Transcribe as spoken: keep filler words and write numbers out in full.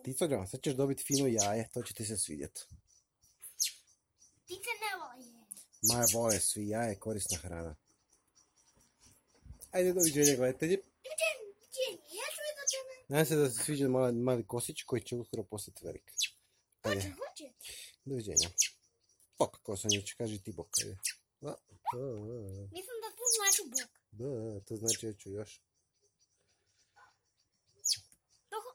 Tico, sad ćeš dobiti fino jaje, to će ti se svidjeti. Ptice ne vole. Ma vole svi, jaje korisna hrana. Ajde, doviđenja gledatelji. Doviđenja, ja ću vidjeti tebe. Nadam se da se sviđa mali, mali kosić koji će uskoro postati velik. Hoće, hoće. Doviđenja. Bok, Kosonjić, kaži ti bok. Ajde. Mislim da to znači bok. Da, to znači ja ću još.